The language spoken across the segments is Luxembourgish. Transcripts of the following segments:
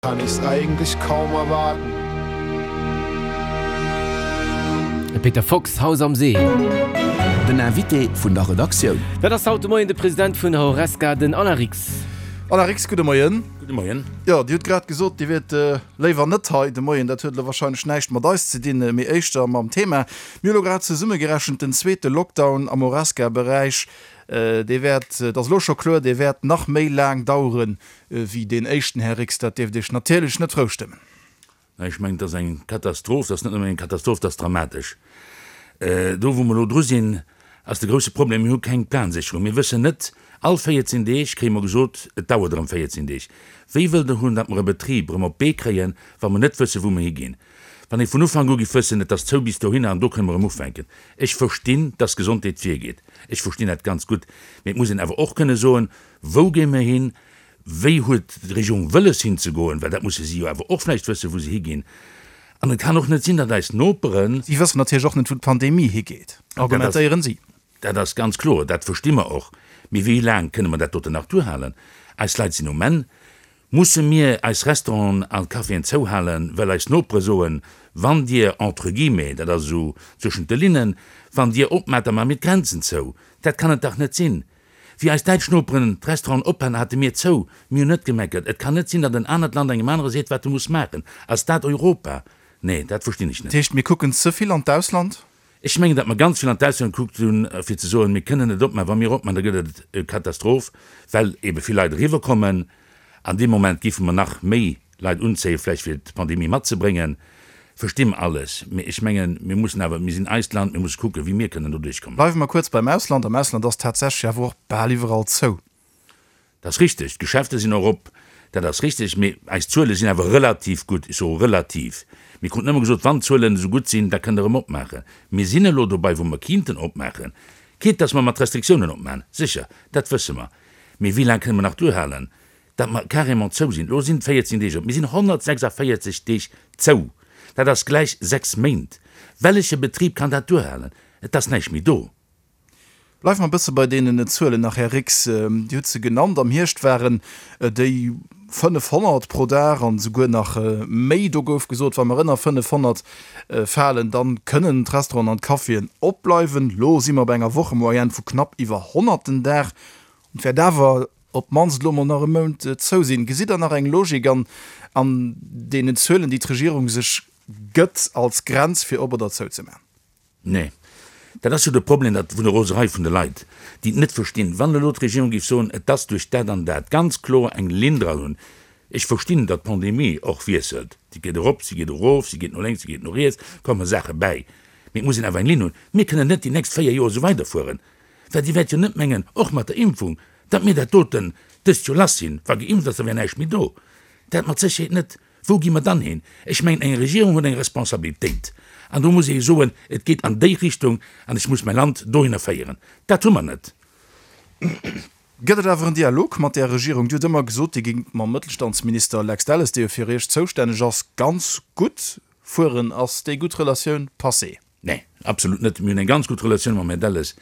Kann ich's eigentlich kaum erwarten. De Peter Fox, Haus am See. Den Invité vun der Redaktioun. Dat ass haut de Moien de President vun der Horesca, den Alain Rix. Alain Rix, gudde Moien. Gudde Moien. Jo, Dir hutt grad gesot, Dir wiert léiwer net hei de Moien. Dat huet elo warscheinlech näischt mat eis ze dinn, mee éischter mam Thema. Mir hu elo grad zesummegerechent, den zweete Lockdown am Horesca-Beräich, dee wäert, et ass elo scho kloer, dee wäert nach méi laang daueren Wéi deen éischten, Här Rix, dat dierft Iech natierlech net frou stëmmen. Mä ech mengen, et ass eng Katastroph, et ass net nëmmen eng Katastroph, et ass dramatesch. Do, wou mer elo dru sinn, ass de grouse Problem, mir hu keng Plansécherung. Mir wëssen net, all 14 Deeg kréie mer gesot, et dauert erëm 14 Deeg. Wéi wëllt Der hunn, datt mer e Betrib erëm op d'Bee kréien, wa mer net wëssen, wou mer higinn? Wann ee vun Ufank u giff wëssen, et ass zou bis dohinner an do kënne mer erëm ufänken. Ech verstinn, datt d'Gesondheet virgeet. Ech verstinn dat ganz gutt. Mee et muss een awer och kënne soen, Wou géi mer hin? Wéi huet d'Regierung wëlles hinzegoen? Well dat musse si jo awer och vläicht wëssen, wou se higinn. An et kann och net sinn, datt eis Noperen. Si wëssen natierlech och net, wou d'Pandemie higeet, argumentéieren si. Dat ass ganz kloer, dat versti mer och. Mee wéi laang kënne mer dat doten nach duerhalen? Eis Leit sinn um Enn. Musse mir eis Restauranten a Caféen zouhalen, well eis Nopere soen, wann Dir, entre guillemets, dat ass esou zwëschent de Linnen, wann Dir opmaacht, da maache mir d'Grenzen zou. Dat kann et dach net sinn! Wéi eis däitsch Noperen d'Restauranten ophalen, hate mir zou. Mir hunn net gemeckert. Et kann net sinn, datt en anert Land engem anere seet, wat e muss maachen. Ass dat Europa? Nee, dat verstinn ech net. Dat heescht, mir kucken ze vill an d'Ausland? Ech mengen, datt mer ganz vill an d'Ausland gekuckt hunn, fir ze soen, mir kënnen net opmaachen. Wa mir opmaachen, da gëtt et e Katastroph, well ebe vill Leit eriwwerkommen. An deem Moment géife mer nach méi Leit unzéien, vläicht fir d'Pandemie matzebréngen, versti mer alles. Mee ech mengen, mir mussen awer, mir sinn eist Land, mir musse kucken, wéi mir kënnen do duerchkommen. Bleiwe mer kuerz beim Ausland. Am Ausland ass tatsächlech awer och bal iwwerall zou. Dat ass richteg. D'Geschäfte sinn och op, dat ass richteg. Mee eis Zuele sinn awer relativ gutt. Ech soe relativ. Mir kruten ëmmer gesot, wann d'Zuelen esou gutt sinn, da kënnt Der erëm opmaachen. Mir sinn elo dobei, wou mer kinnten opmaachen. Quitte dass mer mat Restriktiounen opmaachen, sécher, dat wësse mer. Mee wéi laang kënne mer nach duerhalen? Datt mer carrément zou sinn. Elo sinn 14 Deeg op. Mir sinn 146 Deeg zou. Dat ass gläich 6 Méint. Welleche Betrib kann dat duerhalen? Et ass näischt méi do. Bleiwe mer e bësse bei deenen Zuelen nach, Här Rix. Dir hutt se genannt, am Hierscht waren déi 500 pro Dag an esouguer nach méi. Do gouf gesot, wa mer ënner 500 falen, da kënnen d'Restauranten an d'Caféen opbleiwen. Elo si mer bei enger Wochemoyenne vu knapp iwwer 100 den Dag. Et wäert awer op d'mannst elo mol nach e Mount zou sinn. Gesitt Der nach eng Logik an an deenen Zuelen, déi d'Regierung sech gëtt als Grenz, fir op oder zou ze maachen? Nee. Dat ass jo de Problem, dat vun der Roserei vun de Leit, déi et net verstinn. Wann elo d'Regierung géif soen, et ass duerch dat an dat, ganz kloer eng Linn dran hunn. Ech verstinn, datt d'Pandemie och wiesselt, si geet erop, si geet erof, si geet no lénks, si geet no riets, komme Saache bäi. Mee et muss een awer eng Linn hunn. Mir kënnen net déi nächst 4 Joer esou weiderfueren. Well Dir wäert jo net mengen, och mat der Impfung, datt mir dat doten dëst Joer lass sinn. Wa geimpft ass, da wär näischt méi do. Dat mat Sécherheet net. Wou gi mer dann hin? Ech mengen, eng Regierung huet eng Responsabilitéit. An do muss ee soen, et geet an déi Richtung an ech muss mäi Land dohinner féieren. Dat hu mer net. Gëtt et awer en Dialog mat där Regierung? Dir hutt ëmmer gesot, Dir géingt mam Mëttelstandsminister Lex Delles, dee jo fir Iech zoustänneg ass, ganz gutt fueren. Ass déi gutt Relatioun passé? Nee, absolut net. Mir hunn eng ganz gutt Relatioun mam Här Delles.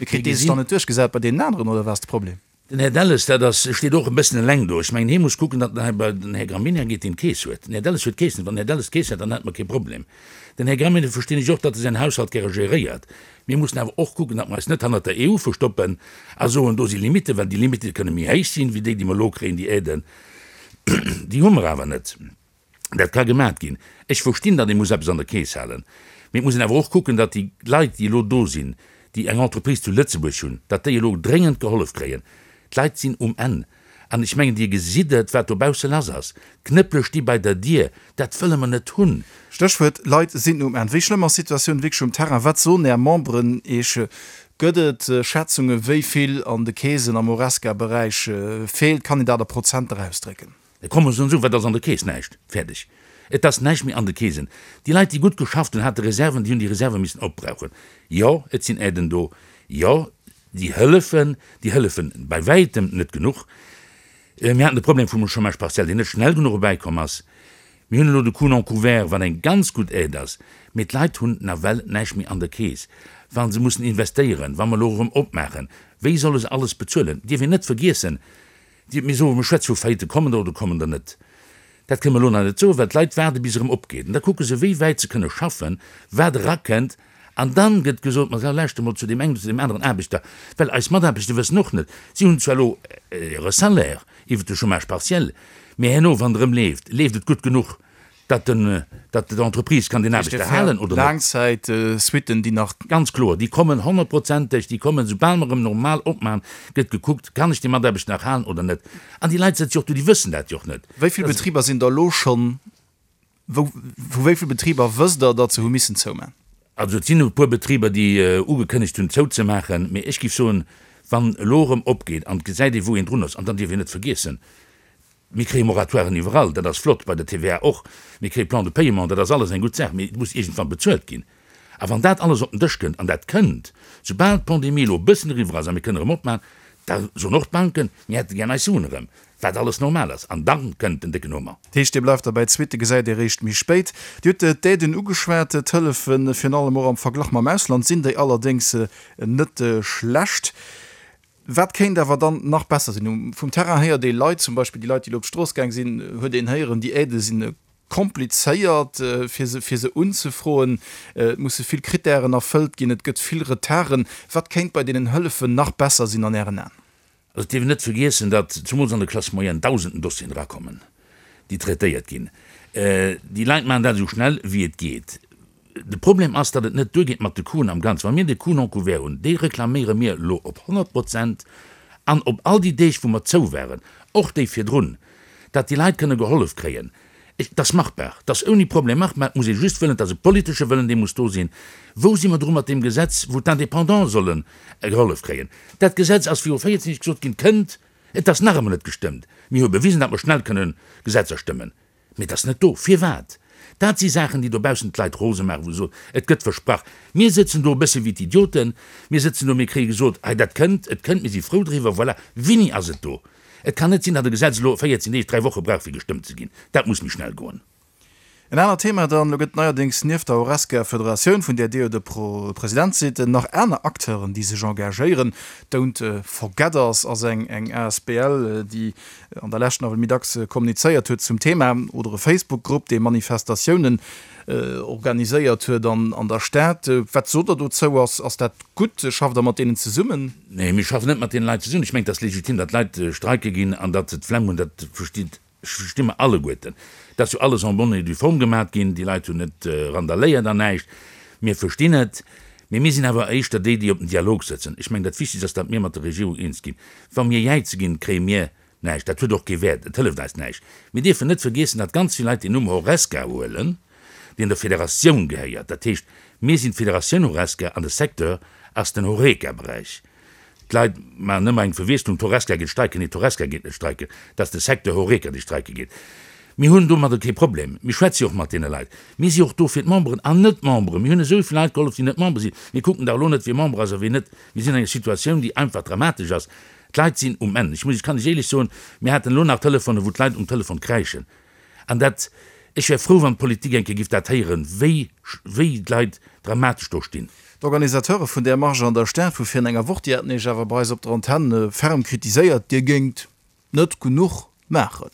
Mee kritt dee sech dann net duerchgesat bei deenen aneren, oder wat ass de Problem? Den Här Delles, dat ass, steet och e bëssen eleng do. Ech mengen, hie muss kucken, datt den Här, den Här Gramegna geet, deen d'Keess huet. Den Här Delles huet d'Keess net. Wann den Här Delles d'Keess hätt, dann hätte mer kee Problem. Den Här Gramegna verstinn ech och, datt e säin Haushalt gäre geréiert. Mir mussen awer och kucken, datt mer eis net hannert der EU verstoppen a soen, do si Limitten, well déi Limitte kënne méi héich sinn, wéi déi, déi mer elo kréien, déi Aiden, déi hu mer awer net. Dat ka gemat ginn. Ech verstinn, datt ee muss eppes an der Keess halen, mee et muss een awer och kucken, datt déi Leit, déi elo do sinn, déi eng Entreprise zu Lëtzebuerg hunn, datt déi elo dréngend gehollef kréien. D'Leit sinn um Enn. An ech mengen, Dir gesitt et, wat dobausse lass ass. D'Knëppele sti bei der Dier. Dat wëlle mer net hunn. Stéchwuert, Leit sinn um Enn. Wéi schlëmm ass d'Situatioun wierklech um Terrain? Wat soen Är Memberen Iech? Gëtt et Schätzungen, wéi vill an de Keesen am Horesca-Beräich feelt? Kann een dat a Prozenter ausdrécken? Da komme se an soen, Wat ass an der Keess? Näischt. Fäerdeg. Et ass näischt méi an de Keesen. Déi Leit, déi gutt geschafft hunn, hate Reserven, déi hunn déi Reserve missen opbrauchen. Jo, et sinn Aiden do. Jo, déi hëllefen. Déi hëllefen bei wäitem net genuch. Mir haten de Problem vum Chômage partiel, deen net schnell genuch erbäikomm ass. Mir hunn elo de Coût non couvert, wat eng ganz gutt Aide ass. Mee d'Leit hunn nawell näischt méi an der Keess, wa se mussen investéieren, wa mer elo erëm opmaachen. Wéi solle se alles bezuelen? Et dierf een net vergiessen, Dir, mir soen, mir schwätze vu Faillite, kommen der oder kommen der net? Dat kënne mer elo nach net soen, well d'Leit waarde bis erëm opgeet. An da kucke se, wéi wäit se kënne schaffen, wat erakënnt. An dann gëtt gesot, Ma lauschter mol zu deem engen oder zu deem aneren Aarbechter, well eis Mataarbechter wëssen och net, si hunn zwar elo hire Salaire iwwert de Chômage partiel, mee herno, wann et erëm leeft, leeft et gutt genuch, datt den, datt d'Entreprise kann deen Aarbechter halen oder net. Laangzäitsuitten, déi nach. Ganz kloer, déi kommen honnertprozenteg, déi kommen, soubal mer erëm normal opmachen, gëtt gekuckt, kann ech dee Mataarbechter nach halen oder net. An déi Leit sëtze jo och do, déi wëssen dat jo och net. Wéi vill Betriber sinn der elo schonn Wou, vu wéi vill Betriber wësst Der, datt se hu missen zouman? Also et sinn e puer Betriber, déi ugekënnegt hunn zouzemaachen. Mee ech géif soen, wann elo erëm opgeet an et gesäit ee wou een drun ass, an dann dierf een net vergiessen, mir kréie Moratoiren iwwerall, dat ass flott, bei der TVA och, mir kréie Plan de paiement, dat ass alles eng gutt Saach, mee et muss iergendwann bezuelt ginn. A wann dat alles op den Dësch kënnt, an dat kënnt, soubal d'Pandemie elo e bëssen eriwwer ass a mir kënnen erëm opmaachen, da soen och d'Banken, mir hätte gär eis Suen erëm, wat alles normal ass. An da kënnt den décken Hummer. Dat heescht, Dir bleift derbäi, d'Suitte gesäit Dir eréischt méi spéit. Dir hutt d'Aiden ugeschwat, d'Hëllefen, virun allem och am Verglach mam Ausland sinn déi allerdéngs net schlecht. Wat kéint awer dann nach besser sinn? Vum Terrain héiert ee Leit, zum Beispill déi Leit, déi elo op d'Strooss gaang sinn, huet een héieren, déi Aidë sinn komplizéiert fir se fir se unzefroen, et musse vill Krittären erfëllt ginn, et gëtt vill Retarden. Wat kéint bei deenen Hëllefen nach besser sinn an Ären Aen? Also et dierf een net vergiessen, datt zumools an der Classe moyenne dausenden Dossieren erakommen, déi traitéiert ginn. Déi Leit maachen dat esou schnell wéi et geet. De Problem ass, datt et net duergeet mat de Coûten am Ganzen. Wa mir de Coût non couvert hunn, dee reklaméiere mir elo op 100 Prozent an op all déi Deeg wou mer zou waren, och déi virdrun, datt déi Leit kënne gehollef kréien. Et ass machbar, et ass ouni Problem machbar, et muss ee just wëllen, et ass e politesche Wëllen, dee muss do sinn. Wou si mer dru mat deem Gesetz, wou d'Indépendants solle gehollef kréien? Dat Gesetz ass viru 14 Deeg gesot ginn, kënnt, et ass nach ëmmer net gestëmmt. Mir hu bewisen, datt mer schnell kënne Gesetzer stëmmen. Mee et ass net do. Firwat? Dat si Saachen, déi dobaussen d'Leit rose maachen, wou se soen, et gëtt versprach. Mir sëtzen do e bësse wéi d'Idioten. Mir sëtzen do, mir kréie gesot, hei dat kënnt, et kënnt, mir si frou driwwer. Voilà, wéini ass et do? Et kann net sinn, datt e Gesetz elo 14 Deeg, dräi Woche brauch, fir gestëmmt ze ginn. Dat muss méi schnell goen. En anert Thema dann, Elo gëtt neierdéngs nieft der Horesca-Federatioun, vun där Dir jo de President sidd, nach aner Acteuren, déi sech engagéieren. D'Don't Forget Us ass eng asbl, déi an der Lescht nawell méi dacks kommunizéiert huet zum Thema, oder e Facebook-Grupp, dee Manifestatiounen organiséiert huet an der Stad. Wat sot Der dozou? Ass dat gutt? Schafft Der mat deenen zesummen? Nee, mir schaffen net mat deene Leit zesummen. Ech mengen, et ass legitim, datt Leit streike ginn an datt se d'Flemm hunn, dat versteet, versti mer alleguerten. Et ass jo alles en bonne et due forme gemat ginn, déi Leit hunn net randaléiert an näischt. Mir verstinn et. Mee mir sinn awer éischter déi, déi op den Dialog sëtzen. Ech mengen, dat Wichtegst ass, datt mir mat der Regierung eens ginn. Wa mir jäize ginn, kréie mir näischt. Dat huet och kee Wäert, et hëlleft eis näischt. Mir dierfen net vergiessen, datt ganz vill Leit den Numm Horesca huelen, deen der Federatioun gehéiert. Dat heescht, mir sinn d'Federatioun Horesca an de Secteur ass den Horeca-Beräich. D'Leit maachen ëmmer eng Verwiesslung, d'Horesca geet streiken. Nee, d'Horesca geet net streiken, dat ass de Secteur Horeca, dee streike geet. Mir hunn domadder kee Problem. Mir schwätze jo och mat deene Leit. Mir si och do fir d'Memberen an Net-Memberen. Mir hunn esou vill Leit gehollef, déi net Member sinn. Mir kucken dach elo net, wie Member ass a wien net. Mir sinn an enger Situatioun, déi einfach dramatesch ass. D'Leit sinn um Enn. Ech muss, ech kann lech éierlech soen, mir haten elo nach Telefonen, wou d'Leit um Telefon kräischen. An dat, ech wär frou, wann d'Politik eng Kéier giff dat héieren, wéi, wéi d'Leit dramatesch do stinn. D'Organisateure vun där Marche an der Stad vu virun enger Woch, déi haten Iech awer bei eis op der Antenn ferm kritiséiert, Dir géingt net genuch maachen.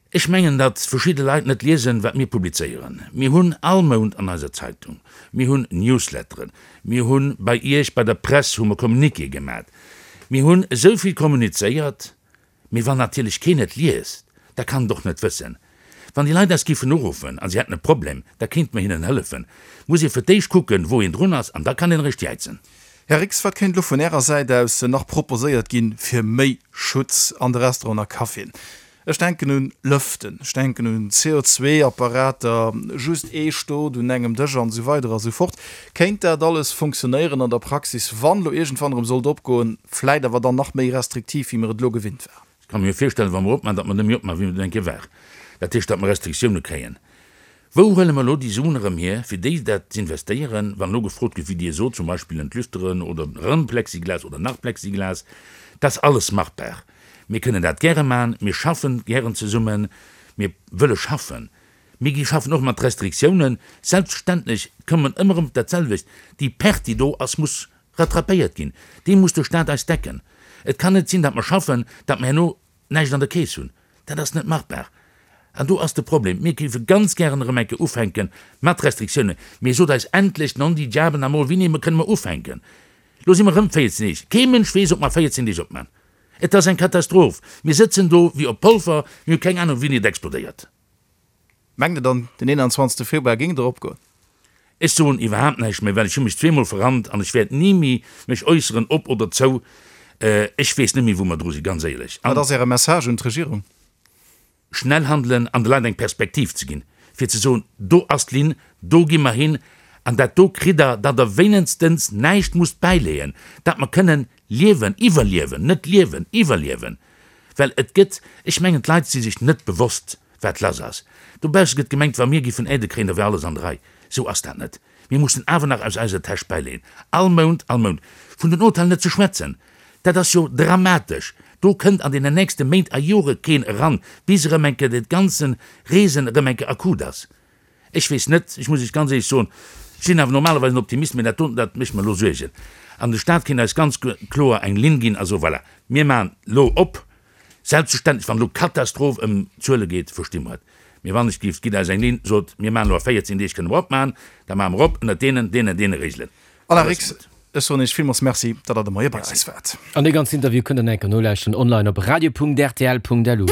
Ech mengen, datt verschidde Leit net liesen, wat mir publizéieren. Mir hunn all Mount an eiser Zeitung, mir hunn Newsletteren, mir hunn bei Iech bei der Press hu mer Communiquéë gemat. Mir hunn esou vill kommunizéiert, mee wann natierlech keen et liest, da kann et och net wëssen. Wann déi Leit eis giffen uruffen a si hätten e Problem, da kéinte mer hinnen hëllefen. Muss ee fir d'éischt kucken, wou een drun ass, an da kann een eréischt jäizen. Här Rix, wat kéint elo vun Ärer Säit aus nach proposéiert ginn, fir méi Schutz an de Restauranten a Caféen? Ech denken un Lëften, ech denken un CO2-Apparater, just ee Stot un engem Dësch an esou weider a sou fort. Kéint dat alles funktionéieren an der Praxis, wann elo iergendwann erëm sollt opgoen, vläit awer dann nach méi restriktiv, wéi mer et elo gewinnt waren? Ech ka mir jo virstellen, wa mer opmachen, datt mer net méi opmachen, wéi mer et eng Kéier waren. Dat heescht, datt mer Restriktioune kréien. Wou huele mer elo déi Suen erëm hier, fir déi dat z'investéieren, wann elo gefrot gëtt, wéi Dir sot, zum Beispill en d'Lüfteren oder erëm Plexiglas oder nach Plexiglas? Dat ass alles machbar. Mir kënnen dat gäre maachen. Mir schaffen gären zesummen. Mir wëlle schaffen. Mir gi schaffen och mat Restriktiounen. Selbstverständlech kommen ëmmer erëm op dat selwecht, Déi Perte, déi do ass, muss rattrapéiert ginn. Déi muss de Stat eis decken. Et kann net sinn, datt mer schaffen, datt mer herno näischt an der Keess hunn. Dat ass net machbar. An do ass de Problem. Mir géife ganz gären erëm eng Kéier ufänke mat Restriktiounen, mee sot eis endlech, non di diable namol, wéini kënne mer ufänken? Lo si mer erëm 14 Deeg. Kee Mënsch weess, ob mer 14 Deeg opman. Et ass eng Katastroph. Mir sëtzen do wéi op Polver, mir hu keng Anung, wéini et explodéiert. Mengt Der dann, den 21. Februar géing der opgoen? Ech soen iwwerhaapt näischt méi, well ech hu mech zweemol verrannt an ech wäert ni méi mech äusseren, op oder zou. Ech weess net méi, wou mer dru sinn, ganz éierlech. Wat ass Äre Message un d'Regierung? Schnell handelen an de Leit eng Perspektiv ze ginn, fir ze soen, do ass d'Linn, do gi mer hin an dat do kritt Der, datt Der wéinenstens näischt musst bäileeën, datt mer kënnen liewen, iwwerliewen, net liewen, iwwerliewen. Well et gëtt, ech mengen, d'Leit si sech net bewosst, wat lass ass. Dobausse gëtt gemengt, wa mir giffen Aidë kréien, da wär alles an der Rei. Esou ass dat net. Mir mussen awer nach aus eiser Täsch bäileeën, all Mount, all Mount. Vun den Hotellen net ze schwätzen, dat ass jo dramatesch. Do kënnt an deenen nächste Méint a Jore keen eran, bis erëm eng Kéier dat ganze Reesen erëm eng Kéier akut ass. Ech weess net, ech muss Iech ganz éierlech soen, ech sinn awer normalerweis en Optimist, mä dat doten, dat mécht mer elo Suergen. An de Stat kéint eis ganz kloer eng Linn ginn a soen, voilà, mir maachen elo op, Selbstverständlech, wann elo Katastroph ëm Zuele geet, versti mer et. Mee wann ech géif, gitt eis eng Linn, sot, mir maachen elo a 14 Deeg kënne mer opmaachen, da maache mer op ënnert deenen, deenen, deene Regelen. Alain Rix, ech soen Iech villmools Merci, datt Der de Moie bei eis waart. An dee ganzen Interview kënnt Der nach eng Kéier nolauschteren online op radio.rtl.lu.